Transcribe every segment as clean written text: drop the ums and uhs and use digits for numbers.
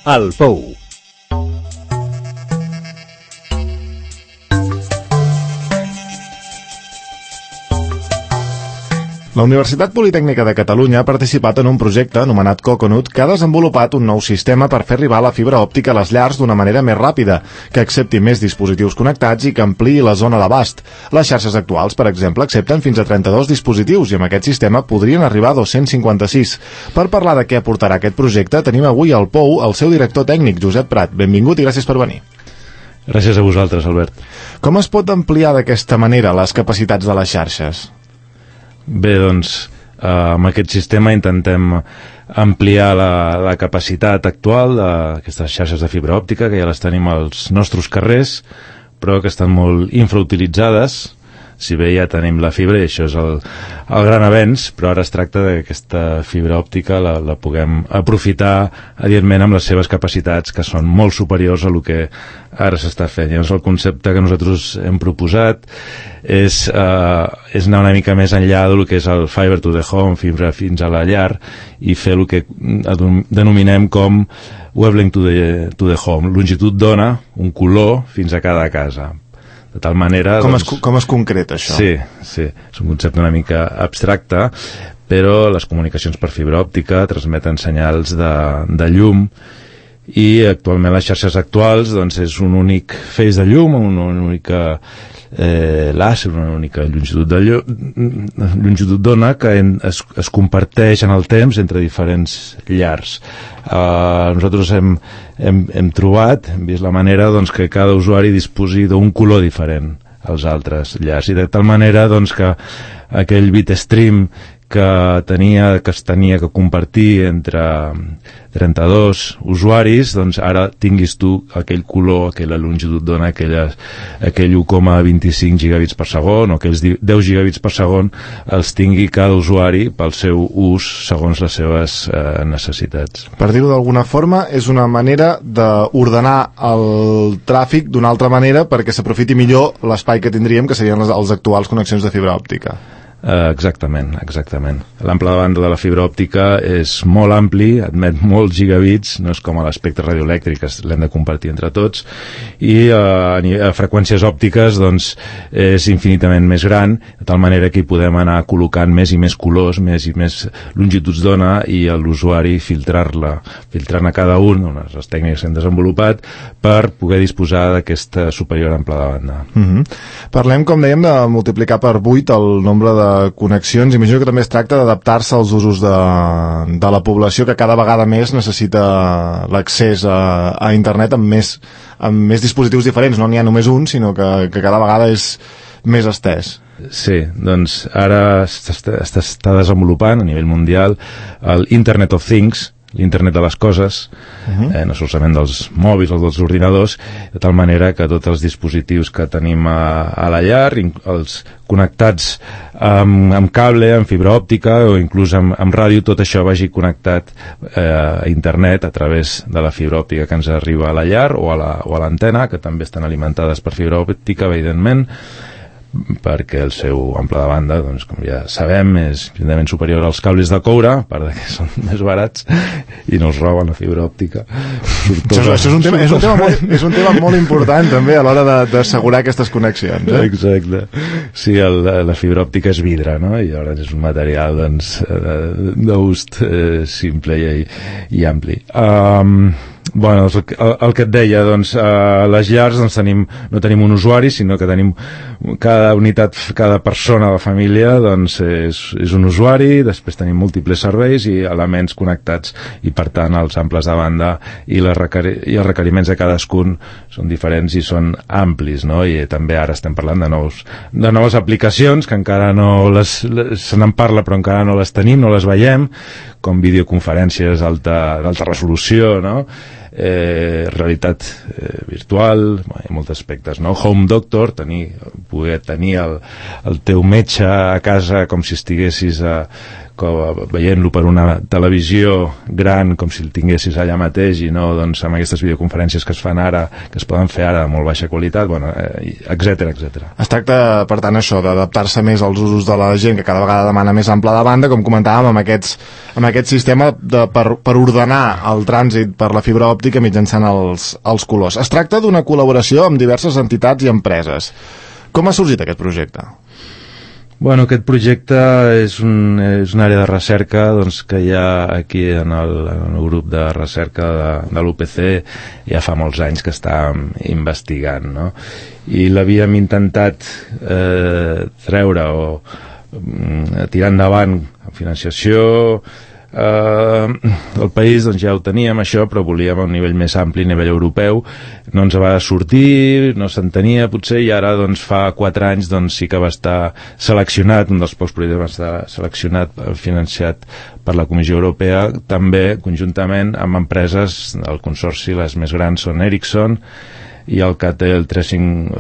El Pou. La Universitat Politècnica de Catalunya ha participat en un projecte anomenat Coconut que ha desenvolupat un nou sistema per fer arribar la fibra òptica a les llars d'una manera més ràpida, que accepti més dispositius connectats i que ampliï la zona d'abast. Les xarxes actuals, per exemple, accepten fins a 32 dispositius i amb aquest sistema podrien arribar a 256. Per parlar de què aportarà aquest projecte, tenim avui al Pou el seu director tècnic, Josep Prat. Benvingut i gràcies per venir. Gràcies a vosaltres, Albert. Com es pot ampliar d'aquesta manera les capacitats de les xarxes? Bé, doncs, amb aquest sistema intentem ampliar la capacitat actual d'aquestes xarxes de fibra òptica, que ja les tenim als nostres carrers, però que estan molt infrautilitzades. Si bé ja tenim la fibra, i això és el gran avenç, però ara es tracta que aquesta fibra òptica la puguem aprofitar, evidentment, amb les seves capacitats, que són molt superiors a el que ara s'està fent. Llavors, el concepte que nosaltres hem proposat és anar una mica més enllà del que és el fiber to the home, fibra fins a la llar, i fer el que denominem com wavelength to the home, longitud d'ona, un color fins a cada casa. De tal manera... Com es concreta això? Sí, és un concepte una mica abstracte, però les comunicacions per fibra òptica transmeten senyals de llum i actualment les xarxes actuals doncs, és un únic feix de llum, una única làser, una única longitud d'ona que es comparteix en el temps entre diferents llars. Nosaltres hem trobat, hem vist la manera doncs, que cada usuari disposi d'un color diferent als altres llars, i de tal manera doncs, que aquell bitstream que es tenia que compartir entre 32 usuaris, doncs ara tinguis tu aquell color, aquella longitud d'ona, aquell 1,25 gigabits per segon o aquells 10 gigabits per segon els tingui cada usuari pel seu ús segons les seves necessitats. Per dir-ho d'alguna forma, és una manera d'ordenar el tràfic d'una altra manera perquè s'aprofiti millor l'espai que tindríem, que serien les actuals connexions de fibra òptica. Exactament. L'ample de banda de la fibra òptica és molt ampli, admet molts gigabits, no és com a l'espectre radioelèctric, que l'hem de compartir entre tots, i a freqüències òptiques doncs, és infinitament més gran, de tal manera que hi podem anar col·locant més i més colors, més i més longituds d'ona, i l'usuari filtrant a cada un, les tècniques que hem desenvolupat, per poder disposar d'aquesta superior ample de banda. Parlem, com dèiem, de multiplicar per 8 el nombre de connexions. Imagino que també es tracta d'adaptar-se als usos de la població, que cada vegada més necessita l'accés a internet amb més dispositius diferents. No n'hi ha només un, sinó que cada vegada és més estès. Sí, doncs ara està desenvolupant a nivell mundial el Internet of Things, l'internet de les coses, no solament dels mòbils o dels ordinadors, de tal manera que tots els dispositius que tenim a la llar, els connectats amb cable, amb fibra òptica o inclús amb ràdio, tot això vagi connectat a internet a través de la fibra òptica que ens arriba a la llar o a l'antena, que també estan alimentades per fibra òptica, evidentment, perquè el seu ample de banda, doncs, com ja sabem, és evidentment superior als cables de coure, a part que són més barats i no els roben la fibra òptica. Això és un tema molt important també a l'hora d'assegurar aquestes connexions. Exacte. Sí, la fibra òptica és vidre, no? I llavors és un material d'ús simple i ampli. Bueno, el que et deia, doncs, a les llars doncs, no tenim un usuari, sinó que tenim cada unitat, cada persona de la família doncs, és un usuari, després tenim múltiples serveis i elements connectats, i per tant els amples de banda i els requeriments de cadascun són diferents i són amplis, no? I també ara estem parlant de noves aplicacions que encara se n'en parla però encara no les tenim, no les veiem, com videoconferències d'alta resolució, no? Realitat virtual, hi ha molts aspectes, no? Home doctor, poder tenir el teu metge a casa com si estiguessis veient-lo per una televisió gran, com si el tinguessis allà mateix, i no doncs, amb aquestes videoconferències que es fan ara, que es poden fer ara de molt baixa qualitat, bueno, etcètera. Es tracta, per tant, això, d'adaptar-se més als usos de la gent, que cada vegada demana més ample de banda, com comentàvem, amb aquest sistema per ordenar el trànsit per la fibra òptica òptica mitjançant els colors. Es tracta d'una col·laboració amb diverses entitats i empreses. Com ha sorgit aquest projecte? Bueno, aquest projecte és una àrea de recerca doncs, que hi ha aquí en el grup de recerca de l'UPC ja fa molts anys que estàvem investigant, no? I l'havíem intentat treure o tirar endavant amb financiació. El país doncs, ja ho teníem això, però volíem a un nivell més ampli, a nivell europeu. No ens va sortir, no s'entenia potser, i ara doncs, fa 4 anys doncs, sí que va estar seleccionat, un dels pocs projectes va estar seleccionat, financiat per la Comissió Europea, també conjuntament amb empreses del consorci. Les més grans són Ericsson i el Catel Tracing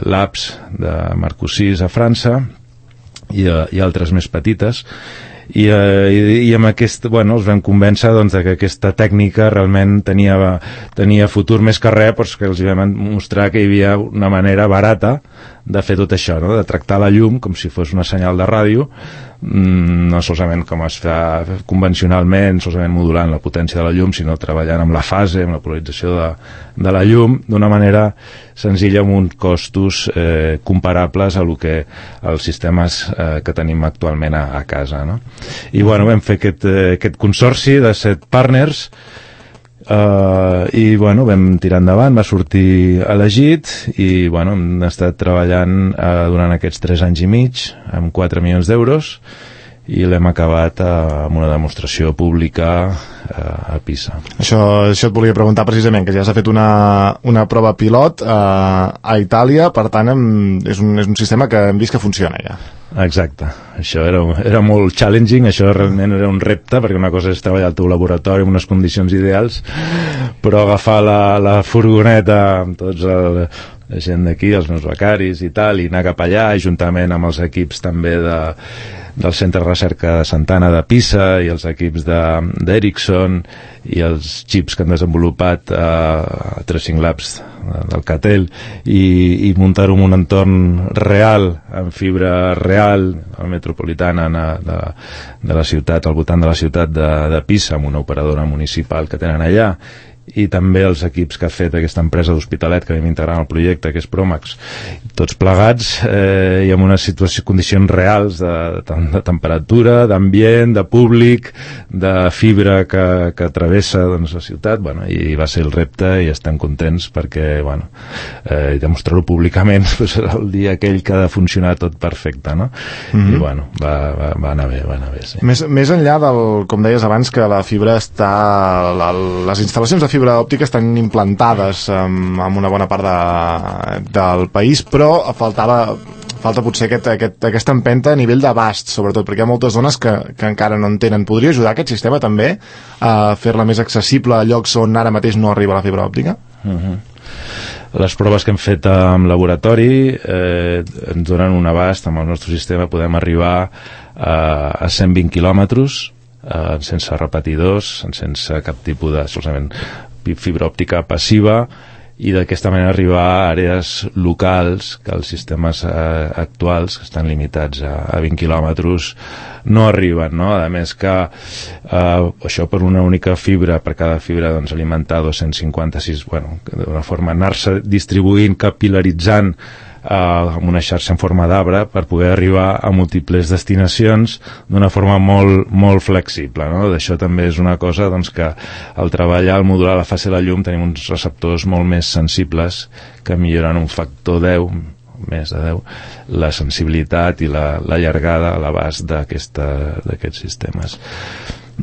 Labs de Marcoussis a França i altres més petites. I amb aquest, els vam convèncer doncs, que aquesta tècnica realment tenia futur, més que res, perquè els vam mostrar que hi havia una manera barata de fer tot això, no? De tractar la llum com si fos una senyal de ràdio, no solament com es fa convencionalment, solament modulant la potència de la llum, sinó treballant amb la fase, amb la polarització de la llum, d'una manera senzilla, amb uns costos comparables a lo que els sistemes que tenim actualment a casa, no? I vam fer aquest consorci de 7 partners, i vam tirar endavant, va sortir elegit, i hem estat treballant durant aquests 3 anys i mig amb 4 milions d'euros, i l'hem acabat amb una demostració pública a Pisa. Això et volia preguntar precisament, que ja s'ha fet una prova pilot a Itàlia, per tant és un sistema que hem vist que funciona ja. Exacte, això era molt challenging, això realment era un repte, perquè una cosa és treballar al teu laboratori en unes condicions ideals, però agafar la furgoneta amb tots la gent d'aquí, els meus becaris i tal, i anar cap allà, juntament amb els equips també del Centre de Recerca de Sant'Anna de Pisa i els equips d'Ericsson i els xips que han desenvolupat Tracing Labs del Catel, i muntar-ho en un entorn real, amb fibra real, metropolitana de la ciutat, al voltant de la ciutat de Pisa, amb una operadora municipal que tenen allà, i també els equips que ha fet aquesta empresa d'Hospitalet que vam integrar en el projecte, que és Promax, tots plegats i amb unes condicions reals de temperatura, d'ambient, de públic, de fibra que travessa la ciutat, i va ser el repte, i estem contents perquè demostrar-ho públicament serà el dia aquell que ha de funcionar tot perfecte, no? I va anar bé, sí. Més enllà com deies abans, que la fibra està, les instal·lacions de fibra òptica estan implantades en una bona part del país, però falta potser aquesta empenta a nivell d'abast, sobretot, perquè hi ha moltes zones que encara no en tenen. Podria ajudar aquest sistema també a fer-la més accessible a llocs on ara mateix no arriba la fibra òptica? Les proves que hem fet en laboratori ens donen un abast. Amb el nostre sistema podem arribar a 120 quilòmetres sense repetidors, sense cap tipus de solament fibra òptica passiva, i d'aquesta manera arribar a àrees locals que els sistemes actuals, que estan limitats a 20 quilòmetres, no arriben, no? A més que això per una única fibra, per cada fibra alimentar 256, d'una forma anar-se distribuint, capil·laritzant amb una xarxa en forma d'arbre per poder arribar a múltiples destinacions d'una forma molt, molt flexible, no? D'això també és una cosa que al treballar, al modular la fase de la llum, tenim uns receptors molt més sensibles que milloren un factor 10, més de 10, la sensibilitat i la llargada a l'abast d'aquests sistemes.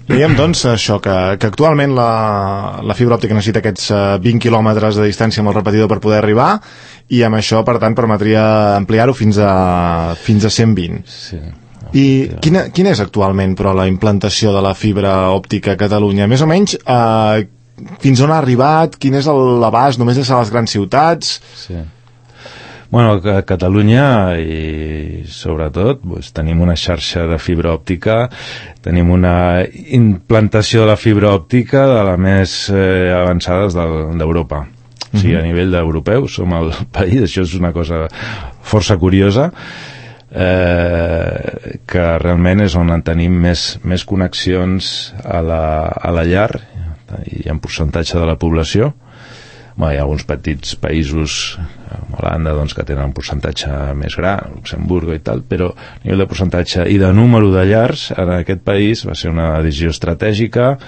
Veiem, doncs, això, que actualment la fibra òptica necessita aquests 20 quilòmetres de distància amb el repetidor per poder arribar, i amb això, per tant, permetria ampliar-ho fins a 120. Sí. I quina és actualment, però, la implantació de la fibra òptica a Catalunya? Més o menys, fins on ha arribat? Quin és l'abast? Només és a les grans ciutats? Sí. A Catalunya, i sobretot tenim una xarxa de fibra òptica, tenim una implantació de la fibra òptica de les més avançades d'Europa. O sigui, a nivell d'europeu som el país, això és una cosa força curiosa, que realment és on tenim més connexions a la llar, hi ha un percentatge de la població. Hi ha alguns petits països, com Holanda, doncs, que tenen un percentatge més gran, Luxemburgo i tal, però a nivell de percentatge i de número de llars en aquest país va ser una decisió estratègica.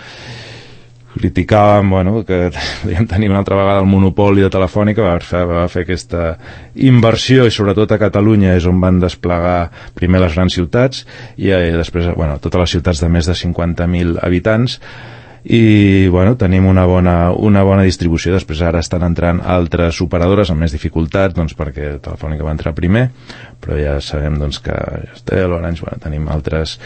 Criticàvem, que podríem tenir una altra vegada el monopoli de Telefònica, va fer aquesta inversió, i sobretot a Catalunya és on van desplegar primer les grans ciutats i després totes les ciutats de més de 50.000 habitants, i tenim una bona distribució. Després ara estan entrant altres operadores amb més dificultats, perquè Telefònica va entrar primer, però ja sabem que Yastel, Orange, tenim altres,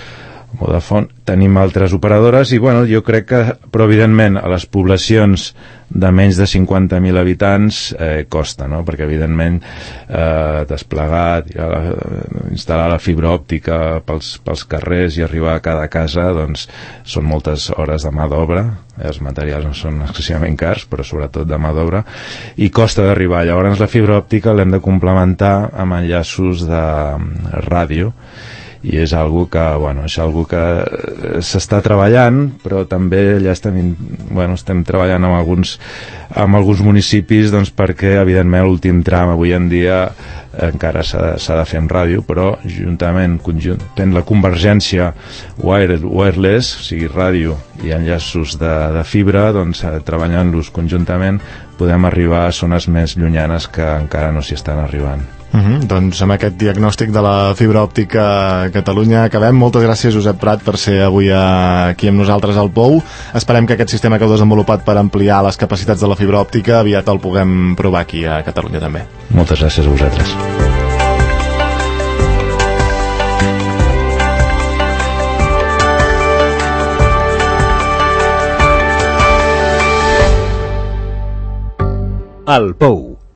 Vodafone, tenim altres operadores, i jo crec que, però evidentment a les poblacions de menys de 50.000 habitants costa, no? Perquè evidentment desplegar, instal·lar la fibra òptica pels carrers i arribar a cada casa, doncs són moltes hores de mà d'obra, els materials no són excessivament cars, però sobretot de mà d'obra, i costa d'arribar. Llavors la fibra òptica l'hem de complementar amb enllaços de ràdio, i és algo que s'està treballant, però també ja estem treballant amb alguns municipis, perquè evidentment l'últim tram avui en dia encara s'ha de fer amb ràdio, però juntament fent la convergència wireless, o sigui ràdio i enllaços de fibra, treballant-los conjuntament podem arribar a zones més llunyanes que encara no s'hi estan arribant. Doncs amb aquest diagnòstic de la fibra òptica a Catalunya acabem. Moltes gràcies, Josep Prat, per ser avui aquí amb nosaltres al POU. Esperem que aquest sistema que heu desenvolupat per ampliar les capacitats de la fibra òptica aviat el puguem provar aquí a Catalunya també. Moltes gràcies a vosaltres. El POU,